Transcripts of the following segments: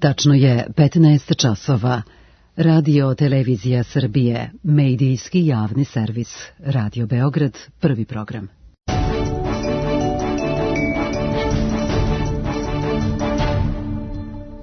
Tačno je 15 časova. Radio Televizija Srbije, medijski javni servis. Radio Beograd, prvi program.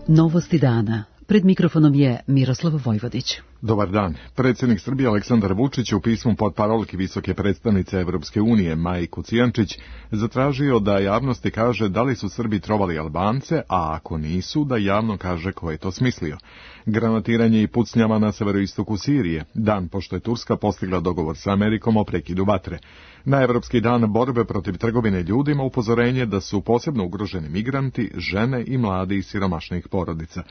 Novosti dana. Pred mikrofonom je Miroslav Vojvodić. Dobar dan. Predsjednik Srbije Aleksandar Vučić u pismu portparolki visoke predstavnice Evropske unije Maji Kocijančić zatražio da javnosti kaže da li su Srbi trovali Albance, a ako nisu, da javno kaže ko je to smislio. Granatiranje i pucnjava na severoistoku Sirije, dan pošto je Turska postigla dogovor sa Amerikom o prekidu vatre. Na Evropski dan borbe protiv trgovine ljudima upozorenje da su posebno ugroženi migranti, žene i mladi iz siromašnih porodica.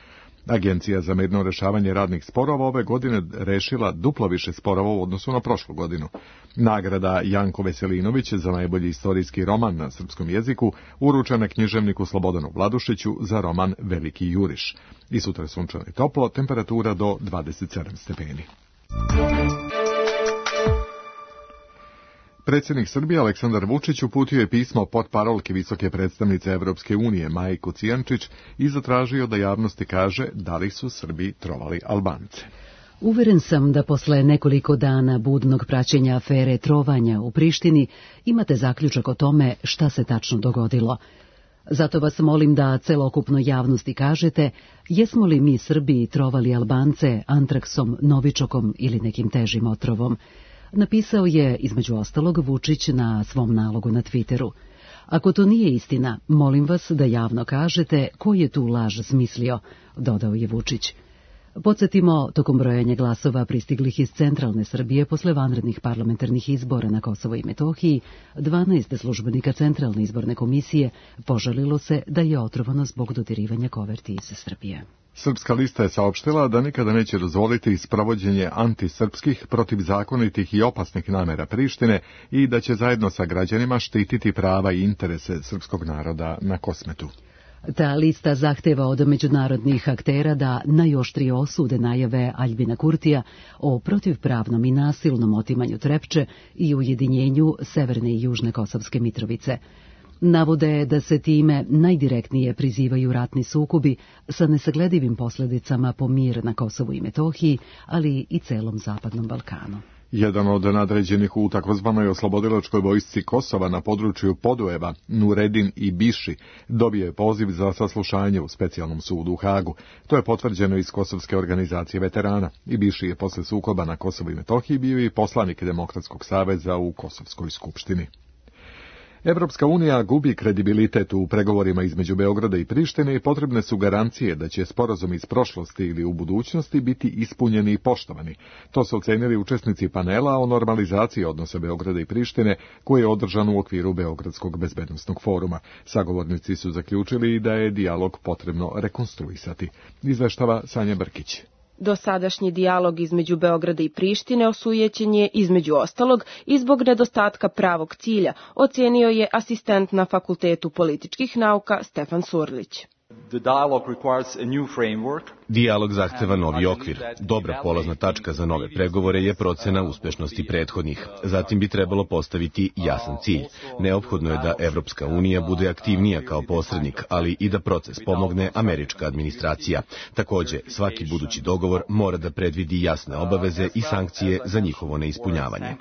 Agencija za mirno rešavanje radnih sporova ove godine rešila duplo više sporova u odnosu na prošlu godinu. Nagrada Janko Veselinović za najbolji istorijski roman na srpskom jeziku uručena književniku Slobodanu Vladušiću za roman Veliki juriš. I sutra sunčano i toplo, temperatura do 27 stepeni. Predsjednik Srbije Aleksandar Vučić uputio je pismo portparolki visoke predstavnice Evropske unije Maji Kocijančić i zatražio da javnosti kaže da li su Srbi trovali Albance. Uveren sam da posle nekoliko dana budnog praćenja afere trovanja u Prištini imate zaključak o tome šta se tačno dogodilo. Zato vas molim da celokupnoj javnosti kažete jesmo li mi Srbi trovali Albance antraksom, novičokom ili nekim težim otrovom. Napisao je, između ostalog, Vučić na svom nalogu na Twitteru. Ako to nije istina, molim vas da javno kažete ko je tu laž smislio, dodao je Vučić. Podsjetimo, tokom brojanja glasova pristiglih iz centralne Srbije posle vanrednih parlamentarnih izbora na Kosovo i Metohiji, 12 službenika Centralne izborne komisije požalilo se da je otrovano zbog dodirivanja koverti iz Srbije. Srpska lista je saopštila da nikada neće dozvoliti sprovođenje antisrpskih, protivzakonitih i opasnih namera Prištine i da će zajedno sa građanima štititi prava i interese srpskog naroda na Kosmetu. Ta lista zahteva od međunarodnih aktera da najoštrije osude najave Aljbina Kurtija o protivpravnom i nasilnom otimanju Trepče i ujedinjenju Severne i Južne Kosovske Mitrovice. Navode da se time najdirektnije prizivaju ratni sukobi sa nesagledivim posljedicama po mir na Kosovu i Metohiji, ali i celom Zapadnom Balkanu. Jedan od nadređenih u takozvanoj oslobodilačkoj vojsci Kosova na području Podujeva, Nuredin i Biši, dobio je poziv za saslušanje u specijalnom sudu u Hagu. To je potvrđeno iz Kosovske organizacije veterana. I Biši je posle sukoba na Kosovu i Metohiji bio i poslanik Demokratskog saveza u Kosovskoj skupštini. Evropska unija gubi kredibilitet u pregovorima između Beograda i Prištine i potrebne su garancije da će sporazum iz prošlosti ili u budućnosti biti ispunjeni i poštovani. To su ocenili učesnici panela o normalizaciji odnosa Beograda i Prištine koji je održan u okviru Beogradskog bezbednosnog foruma. Sagovornici su zaključili da je dijalog potrebno rekonstruisati. Izveštava Sanja Brkić. Dosadašnji dijalog između Beograda i Prištine osujećen je, između ostalog, i zbog nedostatka pravog cilja, ocenio je asistent na Fakultetu političkih nauka Stefan Surlić. Dijalog zahteva novi okvir. Dobra polazna tačka za nove pregovore je procena uspešnosti prethodnih. Zatim bi trebalo postaviti jasan cilj. Neophodno je da Evropska unija bude aktivnija kao posrednik, ali i da proces pomogne američka administracija. Takođe, svaki budući dogovor mora da predvidi jasne obaveze i sankcije za njihovo neispunjavanje.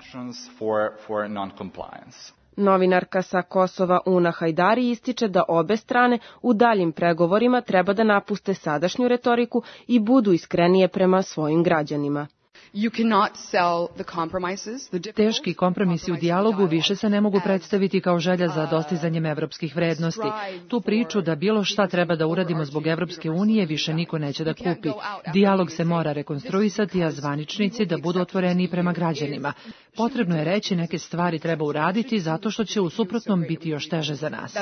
Novinarka sa Kosova Una Hajdari ističe da obe strane u daljim pregovorima treba da napuste sadašnju retoriku i budu iskrenije prema svojim građanima. Teški kompromisi u dijalogu više se ne mogu predstaviti kao želja za dostizanjem evropskih vrednosti. Tu priču da bilo šta treba da uradimo zbog Evropske unije više niko neće da kupi. Dijalog se mora rekonstruisati, a zvaničnici da budu otvoreni prema građanima. Potrebno je reći neke stvari treba uraditi zato što će u suprotnom biti još teže za nas.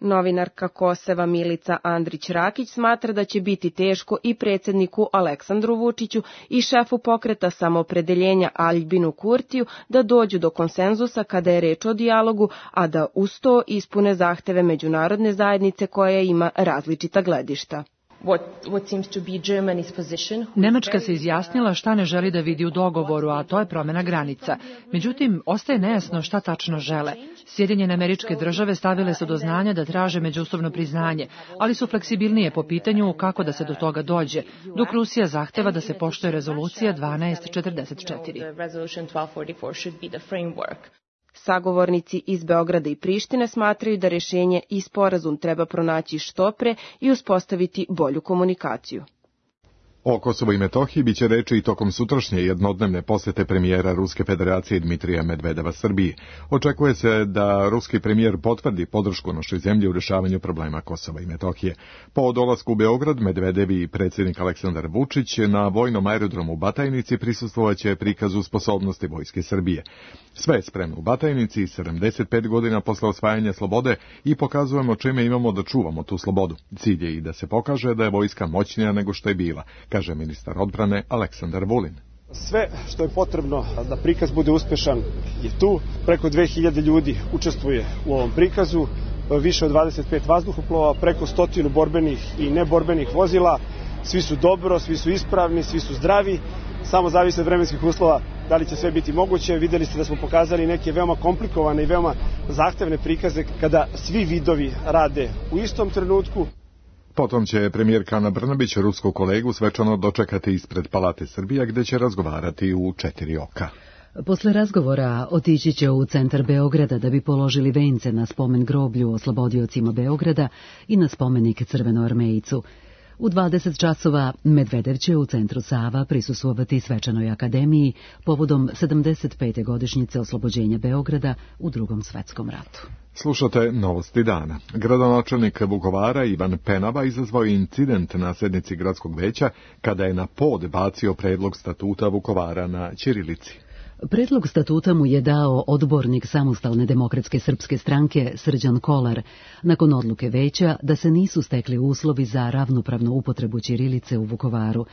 Novinarka Kosova Milica Andrić-Rakić smatra da će biti teško i predsjedniku Aleksandru Vučiću i šefu pokreta samoopredeljenja Aljbinu Kurtiju da dođu do konsenzusa kada je reč o dijalogu, a da uz to ispune zahteve međunarodne zajednice koja ima različita gledišta. Nemačka se izjasnila šta ne želi da vidi u dogovoru, a to je promjena granica. Međutim, ostaje nejasno šta tačno žele. Sjedinjene Američke Države stavile su do znanja da traže međusobno priznanje, ali su fleksibilnije po pitanju kako da se do toga dođe, dok Rusija zahteva da se poštuje rezolucija 1244. Sagovornici iz Beograda i Prištine smatraju da rješenje i sporazum treba pronaći što pre i uspostaviti bolju komunikaciju. O Kosovu i Metohiji biće reči i tokom sutrašnje jednodnevne posjete premijera Ruske federacije Dmitrija Medvedeva Srbiji. Očekuje se da ruski premijer potvrdi podršku našoj zemlji u rješavanju problema Kosova i Metohije. Po dolasku u Beograd, Medvedev i predsjednik Aleksandar Vučić na vojnom aerodromu u Batajnici prisustvovaće prikazu sposobnosti vojske Srbije. Sve je spremno u Batajnici 75 godina posle osvajanja slobode i pokazujemo čime imamo da čuvamo tu slobodu. Cilj je i da se pokaže da je vojska moćnija nego što je bila, kaže ministar odbrane Aleksandar Vulin. Sve što je potrebno da prikaz bude uspešan je tu. Preko 2000 ljudi učestvuje u ovom prikazu, više od 25 vazduhoplova, preko 100 borbenih i neborbenih vozila. Svi su dobro, svi su ispravni, svi su zdravi. Samo zavisi od vremenskih uslova da li će sve biti moguće. Videli ste da smo pokazali neke veoma komplikovane i veoma zahtevne prikaze kada svi vidovi rade u istom trenutku. Potom će premijerka Ana Brnabić rusku kolegu svečano dočekati ispred Palate Srbija gdje će razgovarati u 4 oka. Posle razgovora otići će u centar Beograda da bi položili vence na spomen groblju oslobodiocima Beograda i na spomenik Crvenoarmejcu. U 20 časova Medvedev će u centru Sava prisustvovati svečanoj akademiji povodom 75. godišnjice oslobođenja Beograda u Drugom svetskom ratu. Slušate novosti dana. Gradonačelnik Vukovara Ivan Penava izazvao incident na sednici gradskog veća kada je na pod bacio predlog statuta Vukovara na ćirilici. Predlog statuta mu je dao odbornik Samostalne demokratske srpske stranke Srđan Kolar, nakon odluke veća da se nisu stekli uslovi za ravnopravnu upotrebu ćirilice u Vukovaru.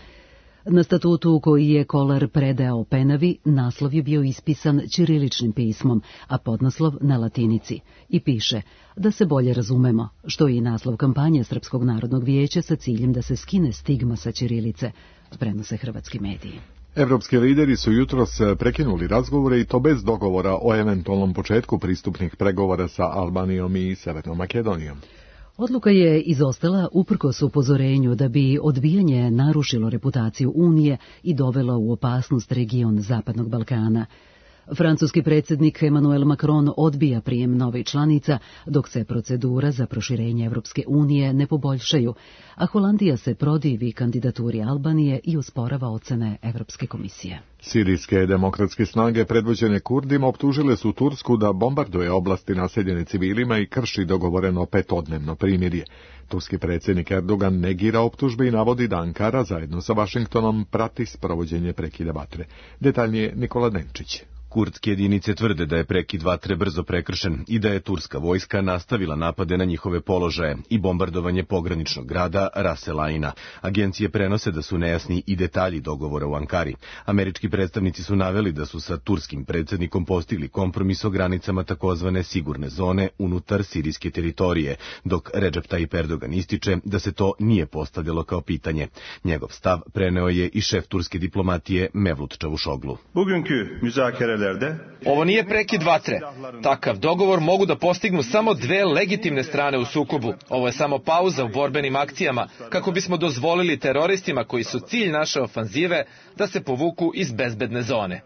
Na statutu koji je Kolar predao Penavi, naslov je bio ispisan ćiriličnim pismom, a podnaslov na latinici, i piše da se bolje razumemo, što je i naslov kampanje Srpskog narodnog vijeća sa ciljem da se skine stigma sa ćirilice, prenose hrvatski mediji. Evropski lideri su jutros prekinuli razgovore i to bez dogovora o eventualnom početku pristupnih pregovora sa Albanijom i Severnom Makedonijom. Odluka je izostala uprkos upozorenju da bi odbijanje narušilo reputaciju Unije i dovelo u opasnost region Zapadnog Balkana. Francuski predsjednik Emmanuel Macron odbija prijem novih članica, dok se procedura za proširenje Evropske unije ne poboljšaju, a Holandija se protivi kandidaturi Albanije i osporava ocene Evropske komisije. Sirijske demokratske snage predvođene Kurdima optužile su Tursku da bombarduje oblasti naseljene civilima i krši dogovoreno 5-dnevno primirje. Turski predsjednik Erdogan negira optužbe i navodi da Ankara zajedno sa Vašingtonom prati sprovođenje prekida vatre. Detaljnije Nikola Denčić. Kurdske jedinice tvrde da je prekid vatre brzo prekršen i da je turska vojska nastavila napade na njihove položaje i bombardovanje pograničnog grada Ras El Aina. Agencije prenose da su nejasni i detalji dogovora u Ankari. Američki predstavnici su naveli da su sa turskim predsjednikom postigli kompromis o granicama takozvane sigurne zone unutar sirijske teritorije, dok Recep Tayyip Erdogan ističe da se to nije postavljalo kao pitanje. Njegov stav preneo je i šef turske diplomatije Mevlut Čavuşoglu. Ovo nije prekid vatre. Takav dogovor mogu da postignu samo dve legitimne strane u sukobu. Ovo je samo pauza u borbenim akcijama kako bismo dozvolili teroristima koji su cilj naše ofanzive da se povuku iz bezbedne zone.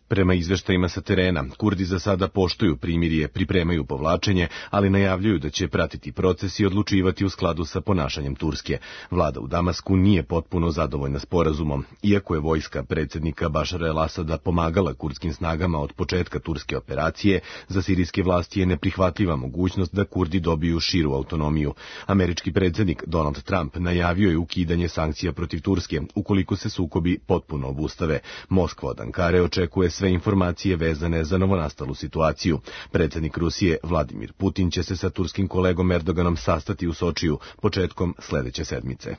Prema izveštajima sa terena, Kurdi za sada poštuju primirje, pripremaju povlačenje, ali najavljuju da će pratiti proces i odlučivati u skladu sa ponašanjem Turske. Vlada u Damasku nije potpuno zadovoljna sporazumom. Iako je vojska predsjednika Bašara el-Asada pomagala kurdskim snagama od početka turske operacije, za sirijske vlasti je neprihvatljiva mogućnost da Kurdi dobiju širu autonomiju. Američki predsjednik Donald Trump najavio je ukidanje sankcija protiv Turske, ukoliko se sukobi potpuno obustave. Moskva od Ankare očekuje sve informacije vezane za novonastalu situaciju. Predsjednik Rusije Vladimir Putin će se sa turskim kolegom Erdoganom sastati u Sočiju početkom sljedeće sedmice.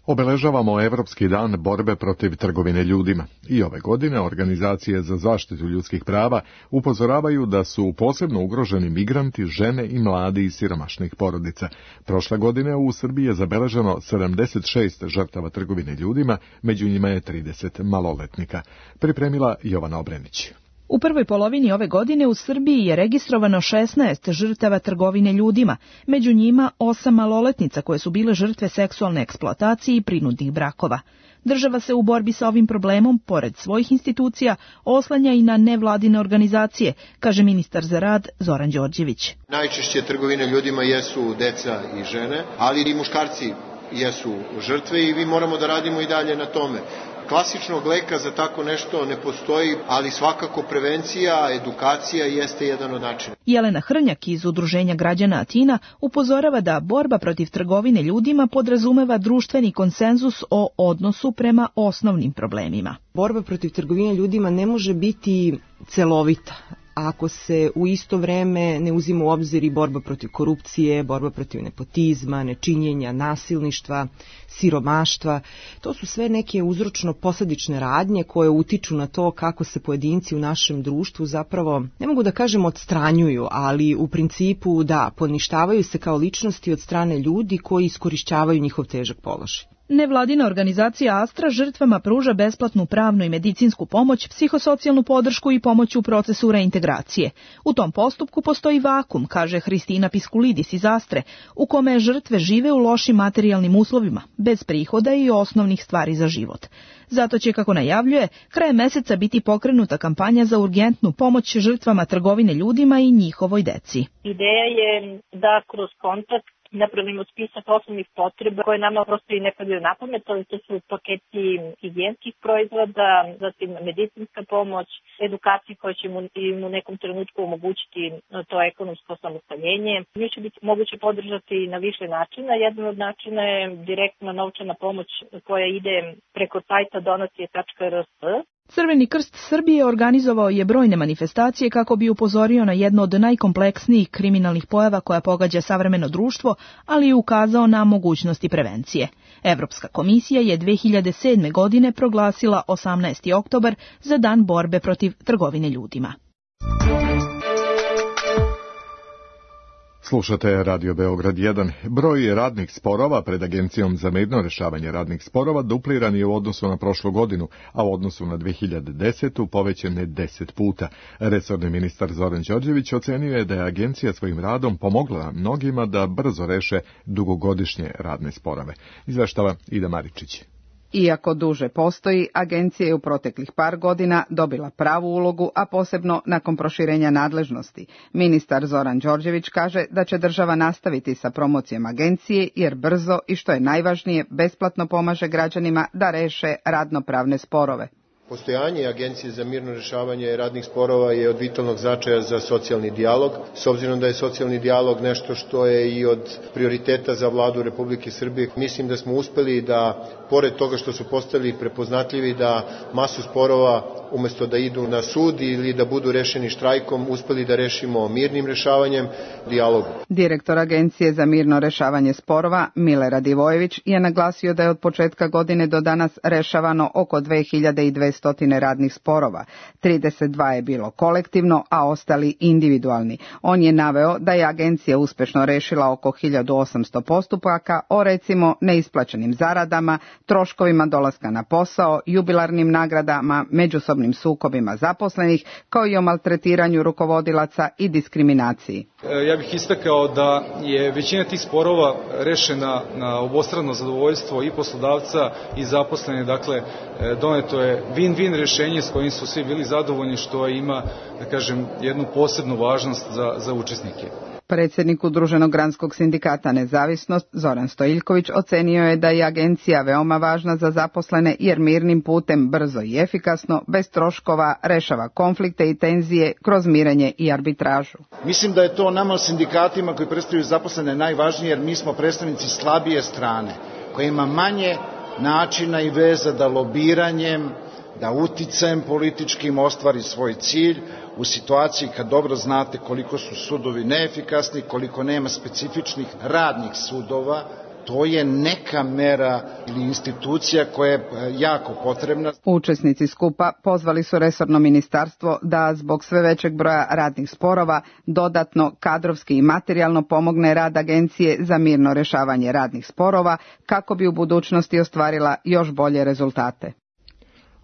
Obeležavamo Evropski dan borbe protiv trgovine ljudima. I ove godine organizacije za zaštitu ljudskih prava upozoravaju da su posebno ugroženi migranti, žene i mladi iz siromašnih porodica. Prošle godine u Srbiji je zabeleženo 76 žrtava trgovine ljudima, među njima je 30 maloletnika. Pripremila Jovana Obrenić. U prvoj polovini ove godine u Srbiji je registrovano 16 žrtava trgovine ljudima, među njima 8 maloletnica koje su bile žrtve seksualne eksploatacije i prinudnih brakova. Država se u borbi sa ovim problemom, pored svojih institucija, oslanja i na nevladine organizacije, kaže ministar za rad Zoran Đorđević. Najčešće trgovine ljudima jesu deca i žene, ali i muškarci jesu žrtve i mi moramo da radimo i dalje na tome. Klasičnog leka za tako nešto ne postoji, ali svakako prevencija, edukacija jeste jedan od načina. Jelena Hrnjak iz Udruženja građana Atina upozorava da borba protiv trgovine ljudima podrazumeva društveni konsenzus o odnosu prema osnovnim problemima. Borba protiv trgovine ljudima ne može biti celovita ako se u isto vreme ne uzima u obzir i borba protiv korupcije, borba protiv nepotizma, nečinjenja, nasilništva, siromaštva. To su sve neke uzročno-posadične radnje koje utiču na to kako se pojedinci u našem društvu zapravo, ne mogu da kažem odstranjuju, ali u principu da, poništavaju se kao ličnosti od strane ljudi koji iskorišćavaju njihov težak položaj. Nevladina organizacija Astra žrtvama pruža besplatnu pravnu i medicinsku pomoć, psihosocijalnu podršku i pomoć u procesu reintegracije. U tom postupku postoji vakum, kaže Hristina Piskulidis iz Astre, u kome žrtve žive u lošim materijalnim uslovima, bez prihoda i osnovnih stvari za život. Zato će, kako najavljuje, krajem meseca biti pokrenuta kampanja za urgentnu pomoć žrtvama trgovine ljudima i njihovoj deci. Ideja je da kroz kontakt napravimo spisak osnovnih potreba koje nama prosto i ne padaju na pamet, ali to su paketi higijenskih proizvoda, zatim medicinska pomoć, edukacija koja će im u nekom trenutku omogućiti to ekonomsko samostaljenje. Nju će biti moguće podržati na više načina. Jedan od načina je direktna novčana pomoć koja ide preko sajta donacije.rs. Crveni krst Srbije organizovao je brojne manifestacije kako bi upozorio na jedno od najkompleksnijih kriminalnih pojava koja pogađa savremeno društvo, ali i ukazao na mogućnosti prevencije. Evropska komisija je 2007. godine proglasila 18. oktobar za dan borbe protiv trgovine ljudima. Slušate Radio Beograd 1. Broj radnih sporova pred Agencijom za mirno rešavanje radnih sporova dupliran je u odnosu na prošlu godinu, a u odnosu na 2010. povećan je 10 puta. Resorni ministar Zoran Đorđević ocenio je da je agencija svojim radom pomogla mnogima da brzo reše dugogodišnje radne sporove. Izveštava Ida Maričić. Iako duže postoji, agencija je u proteklih par godina dobila pravu ulogu, a posebno nakon proširenja nadležnosti. Ministar Zoran Đorđević kaže da će država nastaviti sa promocijom agencije jer brzo i što je najvažnije besplatno pomaže građanima da reše radnopravne sporove. Postojanje Agencije za mirno rešavanje radnih sporova je od vitalnog značaja za socijalni dijalog, s obzirom da je socijalni dijalog nešto što je i od prioriteta za vladu Republike Srbije. Mislim da smo uspeli da, pored toga što su postali prepoznatljivi, da masu sporova umesto da idu na sud ili da budu rešeni štrajkom, uspeli da rešimo mirnim rešavanjem, dijalogom. Direktor Agencije za mirno rešavanje sporova, Milorad Ivojević, je naglasio da je od početka godine do danas rešavano oko 2200 radnih sporova. 32 je bilo kolektivno, a ostali individualni. On je naveo da je agencija uspešno rešila oko 1800 postupaka o recimo neisplaćenim zaradama, troškovima dolaska na posao, jubilarnim nagradama, međusobnim sukobima zaposlenih, kao i o maltretiranju rukovodilaca i diskriminaciji. Ja bih istakao da je većina tih sporova rešena na obostrano zadovoljstvo i poslodavca i zaposlene, dakle doneto je win-win rešenje s kojim su svi bili zadovoljni, što ima, da kažem, jednu posebnu važnost za učesnike. Predsjednik Udruženog granskog sindikata Nezavisnost, Zoran Stojiljković, ocenio je da je agencija veoma važna za zaposlene jer mirnim putem brzo i efikasno, bez troškova, rešava konflikte i tenzije kroz mirenje i arbitražu. Mislim da je to nama sindikatima koji predstavljaju zaposlene najvažnije jer mi smo predstavnici slabije strane, koja ima manje načina i veza da lobiranjem, da uticajem političkim ostvari svoj cilj u situaciji kad dobro znate koliko su sudovi neefikasni, koliko nema specifičnih radnih sudova to je neka mera ili institucija koja je jako potrebna. Učesnici skupa pozvali su resorno ministarstvo da zbog sve većeg broja radnih sporova dodatno kadrovski i materijalno pomogne rad Agencije za mirno rješavanje radnih sporova kako bi u budućnosti ostvarila još bolje rezultate.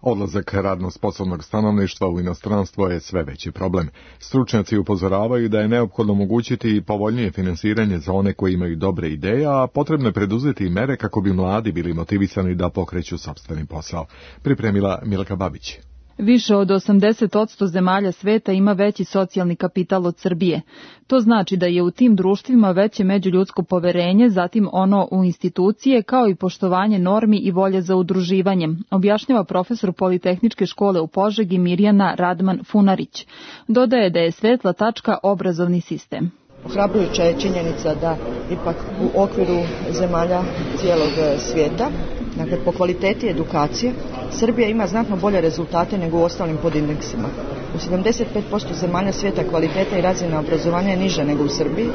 Odlazak radno sposobnog stanovništva u inostranstvo je sve veći problem. Stručnjaci upozoravaju da je neophodno omogućiti povoljnije finansiranje za one koji imaju dobre ideje, a potrebno je preduzeti i mere kako bi mladi bili motivisani da pokreću sopstveni posao. Pripremila Milka Babić. Više od 80% zemalja sveta ima veći socijalni kapital od Srbije. To znači da je u tim društvima veće međuljudsko poverenje, zatim ono u institucije, kao i poštovanje normi i volje za udruživanjem, objašnjava profesor Politehničke škole u Požegi Mirjana Radman Funarić. Dodaje da je svetla tačka obrazovni sistem. Ohrabrujuća je činjenica da ipak u okviru zemalja cijelog svijeta, dakle po kvaliteti edukacije, Srbija ima znatno bolje rezultate nego u ostalim podindeksima. U 75% zemalja svijeta kvaliteta i razina obrazovanja je niža nego u Srbiji,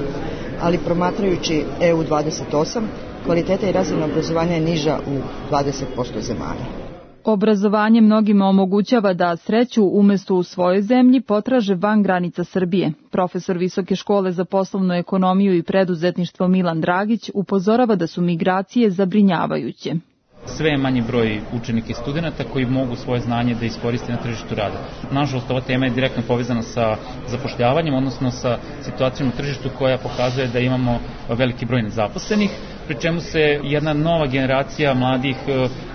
ali promatrajući EU 28, kvaliteta i razina obrazovanja je niža u 20% zemalja. Obrazovanje mnogima omogućava da sreću umjesto u svojoj zemlji potraže van granica Srbije. Profesor Visoke škole za poslovnu ekonomiju i preduzetništvo Milan Dragić upozorava da su migracije zabrinjavajuće. Sve je manji broj učenika i studenata koji mogu svoje znanje da iskoriste na tržištu rada. Nažalost, ova tema je direktno povezana sa zapošljavanjem, odnosno sa situacijom na tržištu koja pokazuje da imamo veliki broj nezaposlenih, pri čemu se jedna nova generacija mladih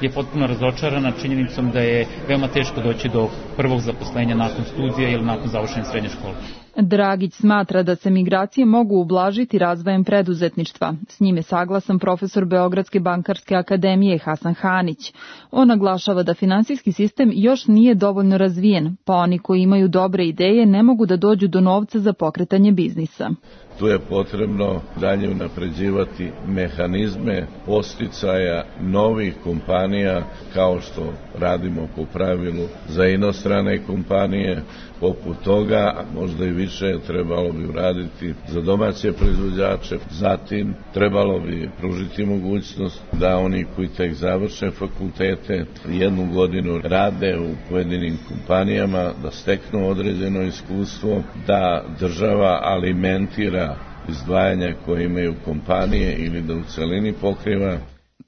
je potpuno razočarana činjenicom da je veoma teško doći do prvog zaposlenja nakon studija ili nakon završene srednje škole. Dragić smatra da se migracije mogu ublažiti razvojem preduzetništva. S njim je saglasan profesor Beogradske bankarske akademije Hasan Hanić. On naglašava da finansijski sistem još nije dovoljno razvijen, pa oni koji imaju dobre ideje ne mogu da dođu do novca za pokretanje biznisa. Tu je potrebno dalje unapređivati mehanizme podsticaja novih kompanija, kao što radimo po pravilu za inostrane kompanije. Poput toga, možda i više, trebalo bi uraditi za domaće proizvođače. Zatim, trebalo bi pružiti mogućnost da oni koji tek završe fakultete 1 godinu rade u pojedinim kompanijama, da steknu određeno iskustvo, da država alimentira izdvajanja koje imaju kompanije ili da u celini pokriva.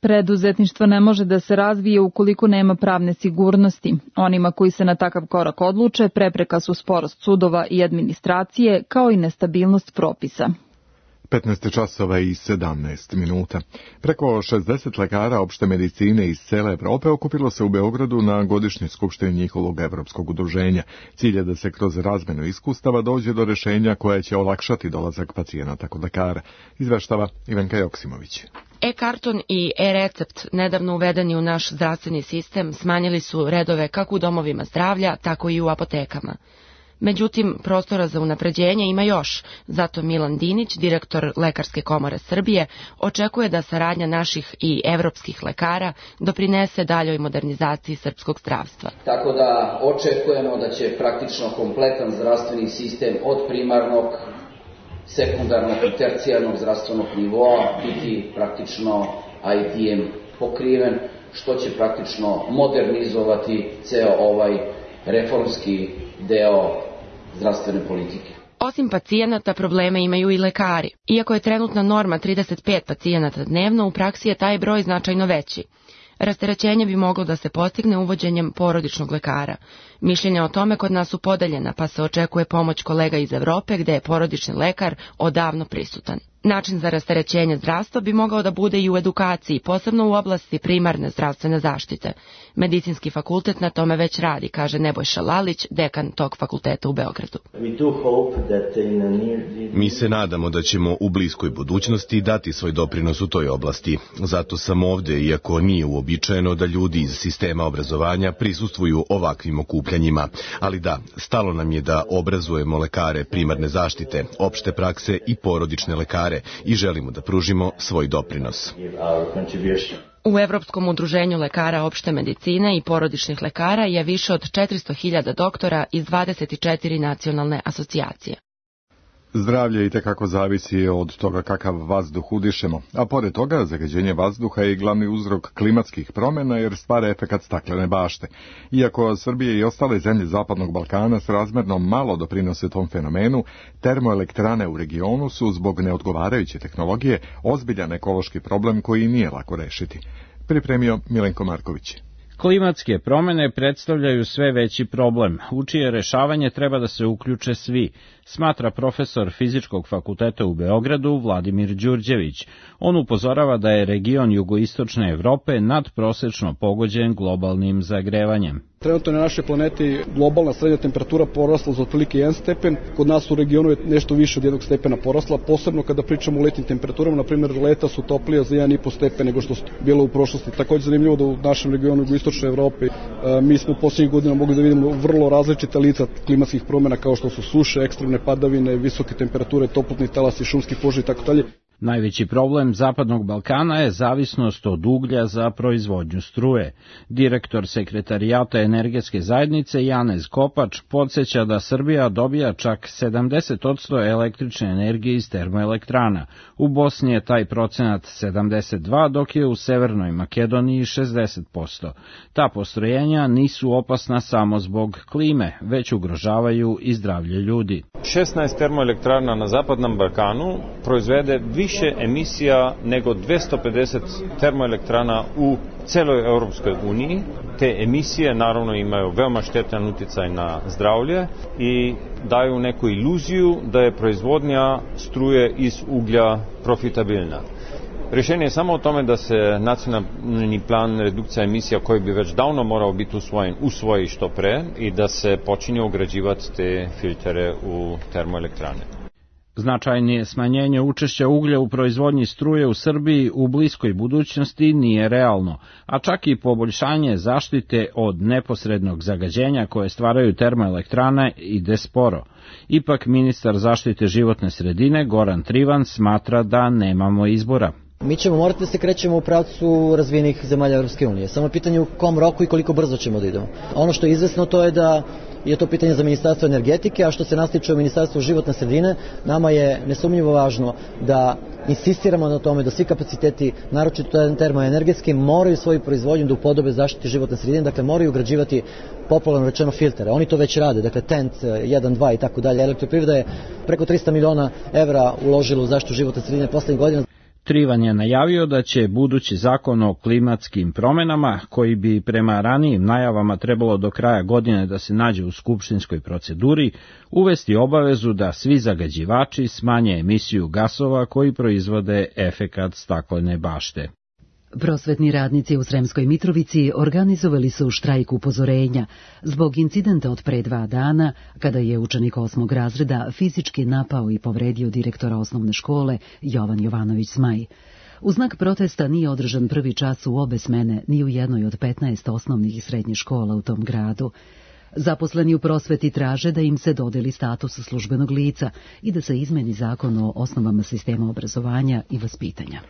Preduzetništvo ne može da se razvije ukoliko nema pravne sigurnosti. Onima koji se na takav korak odluče, prepreka su sporost sudova i administracije, kao i nestabilnost propisa. 15 časova i 17 minuta. Preko 60 lekara opšte medicine iz cele Evrope okupilo se u Beogradu na godišnjoj skupštini njihovog evropskog udruženja. Cilj je da se kroz razmenu iskustava dođe do rješenja koje će olakšati dolazak pacijenata kod lekara, izveštava Ivanka Joksimović. E-karton i e-recept, nedavno uvedeni u naš zdravstveni sistem, smanjili su redove kako u domovima zdravlja, tako i u apotekama. Međutim, prostora za unapređenje ima još, zato Milan Dinić, direktor Lekarske komore Srbije, očekuje da saradnja naših i evropskih lekara doprinese daljoj modernizaciji srpskog zdravstva. Tako da očekujemo da će praktično kompletan zdravstveni sistem od primarnog, sekundarnog i tercijarnog zdravstvenog nivoa biti praktično IT-em pokriven, što će praktično modernizovati ceo ovaj reformski deo zdravstvene politike. Osim pacijenata, probleme imaju i lekari. Iako je trenutna norma 35 pacijenata dnevno, u praksi je taj broj značajno veći. Rasterećenje bi moglo da se postigne uvođenjem porodičnog lekara. Mišljenja o tome kod nas su podeljena, pa se očekuje pomoć kolega iz Evrope, gde je porodični lekar odavno prisutan. Način za rasterećenje zdravstva bi mogao da bude i u edukaciji, posebno u oblasti primarne zdravstvene zaštite. Medicinski fakultet na tome već radi, kaže Nebojša Lalić, dekan tog fakulteta u Beogradu. Mi se nadamo da ćemo u bliskoj budućnosti dati svoj doprinos u toj oblasti. Zato sam ovde, iako nije uobičajeno da ljudi iz sistema obrazovanja prisustvuju ovakvim okupljanjima. Ali da, stalo nam je da obrazujemo lekare primarne zaštite, opšte prakse i porodične lekare i želimo da pružimo svoj doprinos. U Evropskom udruženju lekara opšte medicine i porodičnih lekara je više od 400.000 doktora iz 24 nacionalne asocijacije. Zdravlje itekako zavisi od toga kakav vazduh udišemo, a pored toga zagađenje vazduha je glavni uzrok klimatskih promjena jer stvara efekat staklene bašte. Iako Srbije i ostale zemlje Zapadnog Balkana srazmjerno malo doprinose tom fenomenu, termoelektrane u regionu su zbog neodgovarajuće tehnologije ozbiljan ekološki problem koji nije lako rešiti. Pripremio Milenko Marković. Klimatske promjene predstavljaju sve veći problem, u čije rešavanje treba da se uključe svi, smatra profesor Fizičkog fakulteta u Beogradu Vladimir Đurđević. On upozorava da je region jugoistočne Evrope nadprosečno pogođen globalnim zagrevanjem. Trenutno na našoj planeti globalna srednja temperatura porasla za otprilike 1 stepen, kod nas u regionu je nešto više od 1 stepena porasla, posebno kada pričamo o letnjim temperaturama, na primjer leta su toplija za 1,5 stepen nego što su bilo u prošlosti. Također zanimljivo da u našem regionu jugoistočne Evrope mi smo posljednjih godina mogli da vidimo vrlo različita lica klimatskih promjena kao što su suše, ekstremne padavine, visoke temperature, toplotni talasi, šumski požari itd. Najveći problem Zapadnog Balkana je zavisnost od uglja za proizvodnju struje. Direktor Sekretarijata energetske zajednice Janez Kopač podsjeća da Srbija dobija čak 70% električne energije iz termoelektrana. U Bosni je taj procenat 72%, dok je u Severnoj Makedoniji 60%. Ta postrojenja nisu opasna samo zbog klime, već ugrožavaju i zdravlje ljudi. 16 termoelektrana na Zapadnom Balkanu proizvede više emisija nego 250 termoelektrana u celoj Europskoj uniji. Te emisije naravno imaju veoma štetan uticaj na zdravlje i daju neku iluziju da je proizvodnja struje iz uglja profitabilna. Rješenje je samo o tome da se nacionalni plan redukcija emisija koji bi već davno morao biti usvoji što pre i da se počinje ugrađivati te filtere u termoelektrane. Značajnije smanjenje učešća uglja u proizvodnji struje u Srbiji u bliskoj budućnosti nije realno, a čak i poboljšanje zaštite od neposrednog zagađenja koje stvaraju termoelektrane ide sporo. Ipak ministar zaštite životne sredine Goran Trivan smatra da nemamo izbora. Mi ćemo morati da se krećemo u pravcu razvijenih zemalja Europske unije. Samo je pitanje u kom roku i koliko brzo ćemo da idemo. Ono što je izvesno to je da je to pitanje za Ministarstvo energetike, a što se nas tiče o Ministarstvu životne sredine, nama je nesumnjivo važno da insistiramo na tome da svi kapaciteti, naročito termoenergetski, moraju svoju proizvodnju da upodobe zaštiti životne sredine, dakle moraju ugrađivati popularno rečeno filtere. Oni to već rade, dakle TENT 1, 2 i tako dalje. Elektroprivreda je preko 300 miliona evra uložila u zaštitu životne sredine poslednjih godina. Trivan je najavio da će budući zakon o klimatskim promjenama, koji bi prema ranijim najavama trebalo do kraja godine da se nađe u skupštinskoj proceduri, uvesti obavezu da svi zagađivači smanje emisiju gasova koji proizvode efekat staklene bašte. Prosvetni radnici u Sremskoj Mitrovici organizovali su štrajk upozorenja zbog incidenta od pre 2 dana, kada je učenik 8. razreda fizički napao i povredio direktora osnovne škole Jovan Jovanović Zmaj. U znak protesta nije održan prvi čas u obe smene ni u jednoj od 15 osnovnih i srednjih škola u tom gradu. Zaposleni u prosveti traže da im se dodeli status službenog lica i da se izmeni zakon o osnovama sistema obrazovanja i vaspitanja.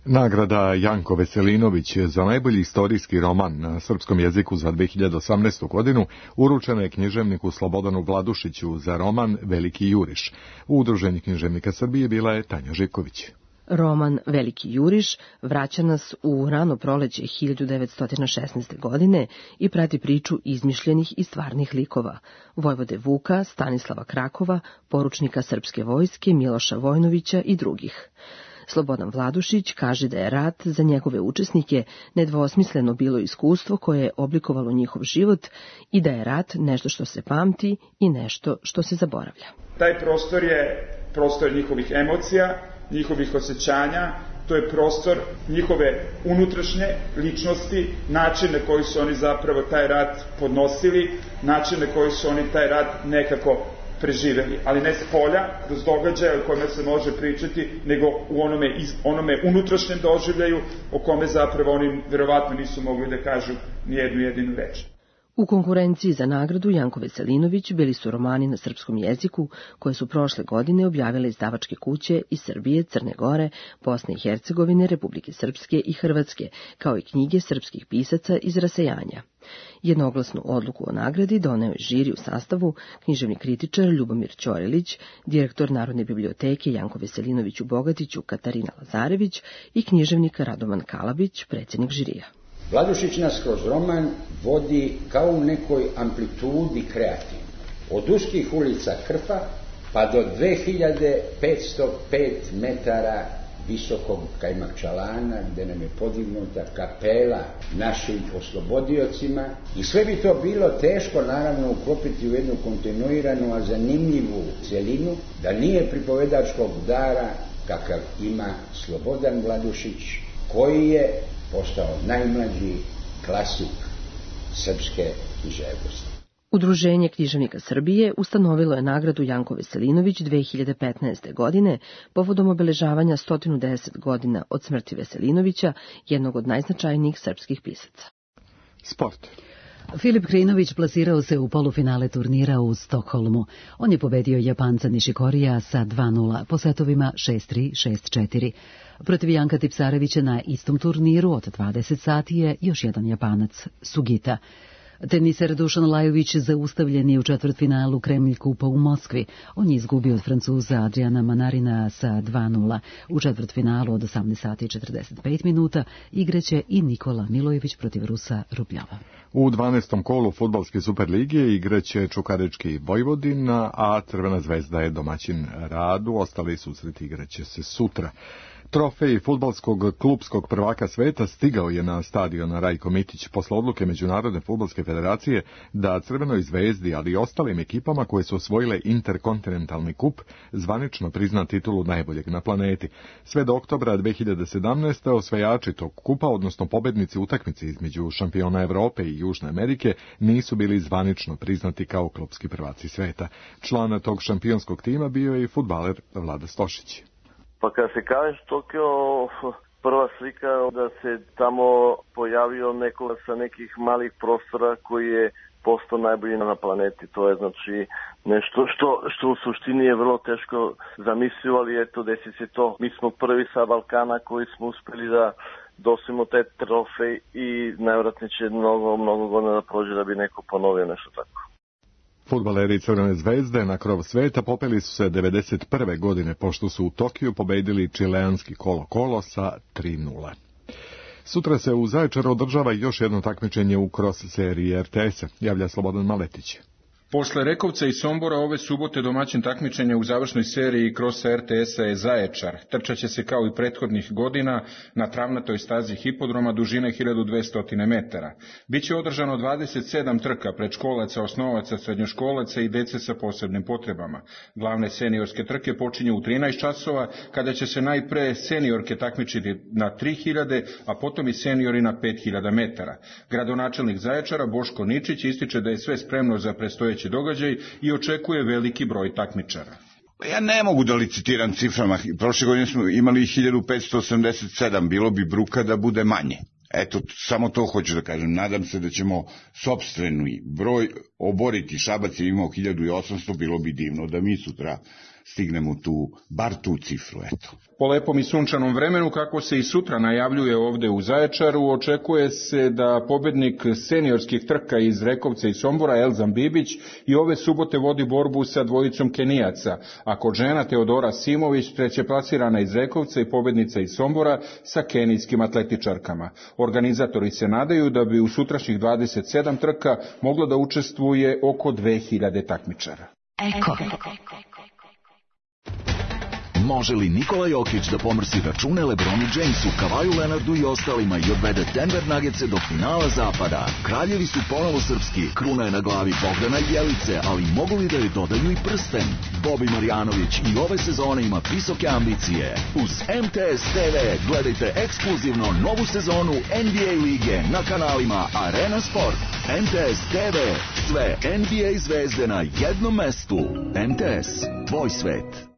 Nagrada Janko Veselinović za najbolji istorijski roman na srpskom jeziku za 2018. godinu uručena je književniku Slobodanu Vladušiću za roman Veliki juriš. U Udruženju književnika Srbije bila je Tanja Živković. Roman Veliki juriš vraća nas u rano proleće 1916. godine i prati priču izmišljenih i stvarnih likova, vojvode Vuka, Stanislava Krakova, poručnika srpske vojske Miloša Vojnovića i drugih. Slobodan Vladušić kaže da je rat za njegove učesnike nedvosmisleno bilo iskustvo koje je oblikovalo njihov život i da je rat nešto što se pamti i nešto što se zaboravlja. Taj prostor je prostor njihovih emocija, njihovih osjećanja, to je prostor njihove unutrašnje ličnosti, načine koji su oni zapravo taj rat podnosili, načine koji su oni taj rat nekako preživeli, ali ne s polja, kroz događaje o kome se može pričati, nego u onome unutrašnjem doživljaju o kome zapravo oni verovatno nisu mogli da kažu ni jednu jedinu reč. U konkurenciji za nagradu Janko Veselinović bili su romani na srpskom jeziku koje su prošle godine objavile izdavačke kuće iz Srbije, Crne Gore, Bosne i Hercegovine, Republike Srpske i Hrvatske, kao i knjige srpskih pisaca iz rasejanja. Jednoglasnu odluku o nagradi doneo je žiri u sastavu književni kritičar Ljubomir Ćorilić, direktor Narodne biblioteke Janko Veselinović u Bogatiću Katarina Lazarević i književnik Radovan Kalabić, predsjednik žirija. Vladušić nas kroz roman vodi kao u nekoj amplitudi kreativno. Od uskih ulica Krfa pa do 2505 metara visokog Kajmakčalana, gde nam je podignuta kapela našim oslobodiocima. I sve bi to bilo teško, naravno, uklopiti u jednu kontinuiranu, a zanimljivu celinu, da nije pripovedačkog dara kakav ima Slobodan Vladušić, koji je postao najmlađi klasik srpske književnosti. Udruženje književnika Srbije ustanovilo je nagradu Janko Veselinović 2015. godine povodom obeležavanja 110 godina od smrti Veselinovića, jednog od najznačajnijih srpskih pisaca. Sport. Filip Krinović plasirao se u polufinale turnira u Stokholmu. On je pobedio Japanca Nishikorija sa 2:0 po setovima 6-3, 6-4. Protiv Janka Tipsarevića na istom turniru od 20 sati je još jedan Japanac, Sugita. Teniser Dušan Lajović zaustavljen je u četvrtfinalu Kremlj kupa u Moskvi. On je izgubio od Francuza Adriana Manarina sa 2:0. U četvrtfinalu od 18 sati i 45 minuta igraće i Nikola Milojević protiv Rusa Rubljava. U 12. kolu fudbalske Superligije igraće Čukarički Vojvodina, a Crvena zvezda je domaćin Radu. Ostali susreti igraće se sutra. Trofej fudbalskog klupskog prvaka sveta stigao je na stadion Rajko Mitić posle odluke Međunarodne fudbalske federacije da Crvenoj zvezdi, ali i ostalim ekipama koje su osvojile interkontinentalni kup, zvanično prizna titulu najboljeg na planeti. Sve do oktobra 2017. osvajači tog kupa, odnosno pobednici utakmice između šampiona Evrope i Južne Amerike, nisu bili zvanično priznati kao klupski prvaci sveta. Član tog šampionskog tima bio je i fudbaler Vlada Stošić. Pa kada se kažeš Tokio, prva slika da se tamo pojavio neko sa nekih malih prostora koji je postao najbolji na planeti. To je znači nešto što u suštini je vrlo teško zamislio, ali eto desi se to. Mi smo prvi sa Balkana koji smo uspeli da dosimo taj trofej i najvjerojatnije će mnogo godina da prođe da bi neko ponovio nešto tako. Fudbaleri Crvene zvezde na krov sveta popeli su se 1991. godine pošto su u Tokiju pobedili čileanski Colo-Colo sa 3:0. Sutra se u Zaječaru održava još jedno takmičenje u cross seriji RTS-a, javlja Slobodan Maletić. Posle Rekovca i Sombora ove subote domaćin takmičenja u završnoj seriji krosa RTS-a je Zaječar. Trčaće se kao i prethodnih godina na travnatoj stazi hipodroma dužine 1200 metara. Biće održano 27 trka predškolaca, osnovaca, srednjoškolaca i dece sa posebnim potrebama. Glavne seniorske trke počinju u 13 časova, kada će se najpre seniorke takmičiti na 3000, a potom i seniori na 5000 metara. Gradonačelnik Zaječara Boško Ničić ističe da je sve spremno za predstojeći događaj i očekuje veliki broj takmičara. Ja ne mogu da licitiram ciframa. Prošle godine smo imali 1587, bilo bi bruka da bude manje. Eto, samo to hoću da kažem. Nadam se da ćemo sopstveni broj oboriti. Šabac je imao 1800, bilo bi divno da mi sutra stignemo bar tu cifru, eto. Po lepom i sunčanom vremenu, kako se i sutra najavljuje ovde u Zaječaru, očekuje se da pobednik seniorskih trka iz Rekovca i Sombora, Elzan Bibić, i ove subote vodi borbu sa dvojicom Kenijaca, a kod žena Teodora Simović, trećeplasirana iz Rekovca i pobednica iz Sombora, sa kenijskim atletičarkama. Organizatori se nadaju da bi u sutrašnjih 27 trka moglo da učestvuje oko 2000 takmičara. Eko. Može li Nikola Jokić da pomrsi račune LeBronu Jamesu, Kavaju Leonardu i ostalima i odvede Denver Nuggetse do finala zapada? Kraljevi su ponovo srpski, kruna je na glavi Bogdana i Jelice, ali mogu li da joj dodaju i prsten? Bobi Marjanović i ove sezone ima visoke ambicije. Uz MTS TV gledajte ekskluzivno novu sezonu NBA lige na kanalima Arena Sport. MTS TV, sve NBA zvezde na jednom mestu. MTS, tvoj svet.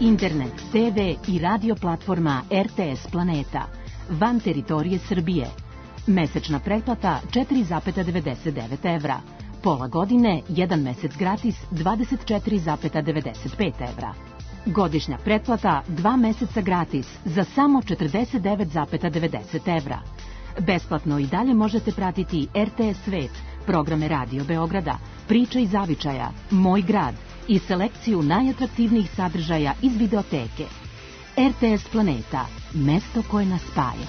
Internet, TV i radio platforma RTS Planeta. Van teritorije Srbije. Mesečna pretplata 4,99 evra. Pola godine, 1 mesec gratis 24,95 evra. Godišnja pretplata 2 meseca gratis za samo 49,90 evra. Besplatno i dalje možete pratiti RTS Svet, programe Radio Beograda, Priče iz zavičaja, Moj grad i selekciju najatraktivnijih sadržaja iz videoteke. RTS Planeta, mesto koje nas spaja.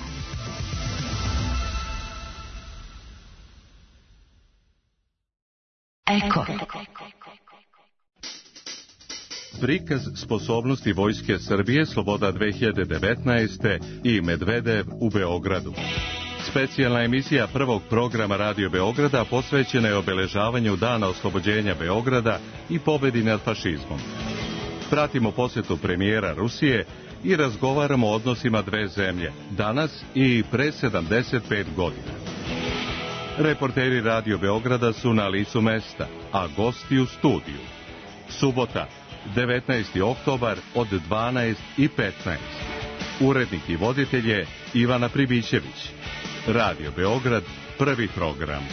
Eko. Prikaz sposobnosti Vojske Srbije Sloboda 2019. i Medvedev u Beogradu. Specijalna emisija prvog programa Radio Beograda posvećena je obeležavanju Dana oslobođenja Beograda i pobedi nad fašizmom. Pratimo posjetu premijera Rusije i razgovaramo o odnosima dve zemlje, danas i pre 75 godina. Reporteri Radio Beograda su na licu mesta, a gosti u studiju. Subota, 19. oktobar od 12:15. Urednik i voditelj je Ivana Pribićević. Radio Beograd, prvi program.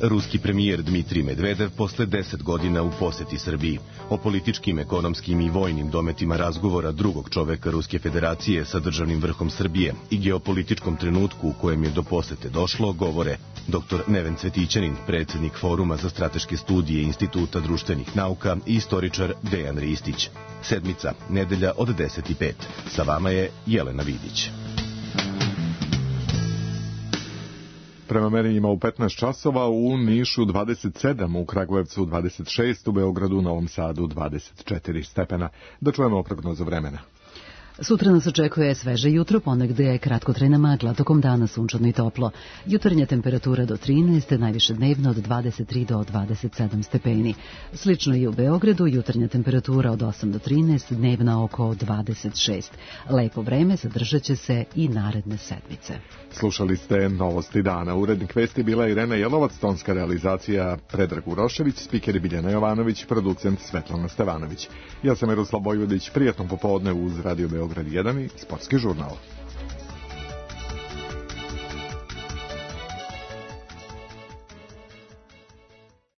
Ruski premijer Dmitrij Medvedev posle 10 godina u poseti Srbiji. O političkim, ekonomskim i vojnim dometima razgovora drugog čoveka Ruske federacije sa državnim vrhom Srbije i geopolitičkom trenutku u kojem je do posete došlo govore dr. Neven Cvetićanin, predsjednik Foruma za strateške studije Instituta društvenih nauka i istoričar Dejan Ristić. Sedmica, nedelja od 10:05. Sa vama je Jelena Vidić. Prema merenjima u 15 časova, u Nišu 27, u Kragujevcu 26, u Beogradu, Novom Sadu 24 stepena. Da čujemo prognozu vremena. Sutra nas očekuje sveže jutro, ponegde je kratkotrajna magla, tokom dana sunčano i toplo. Jutarnja temperatura do 13, najviše dnevno od 23 do 27 stepeni. Slično i u Beogradu, jutarnja temperatura od 8 do 13, dnevna oko 26. Lepo vreme zadržat će se i naredne sedmice. Slušali ste Novosti dana. Urednik vesti bila Irena Jelovac, tonska realizacija Predrag Urošević, spikeri Biljana Jovanović, producent Svetlana Stevanović. Ja sam Miroslav Bojvodić, prijatno popodne uz Radio Beograd 1 i Sportski žurnal.